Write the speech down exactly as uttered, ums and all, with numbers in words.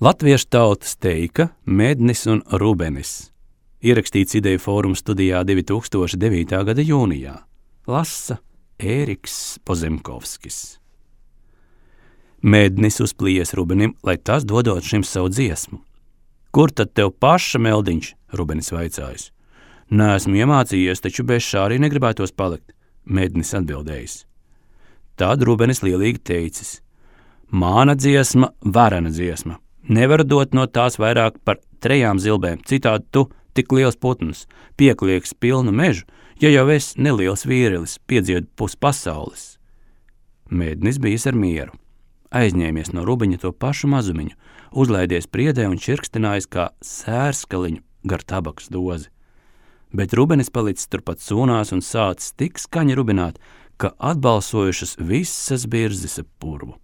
Latviešu tautas teika Mednis un Rubenis. Ierakstīts Ideju fóruma studijā divi tūkstoši devītā gada jūnijā. Lasa Ēriks Pozemkovskis. Mednis uzplījies Rubenim, lai tas dodot šim savu dziesmu. Kur tad tev paša meldiņš? Rubenis vaicājis. Neesmu iemācījies, taču bez šā arī negribētos palikt, Mednis atbildējis. Tad Rubenis lielīgi teicis. Māna dziesma, varena dziesma. Nevaru dot no tās vairāk par trejām zilbēm, citādi tu, tik liels putns, pieklieks pilnu mežu, ja jau es neliels vīrilis, piedziedu pus pasaules. Mednis bijis ar mieru. Aizņēmies no Rubeņa to pašu mazumiņu, uzlaidies priedē un čirkstinājis kā sērskaliņu gar tabakas dozi. Bet Rubenis palicis turpat sūnās un sācis tik skaņi rubināt, ka atbalsojušas visas birzes ap purvu.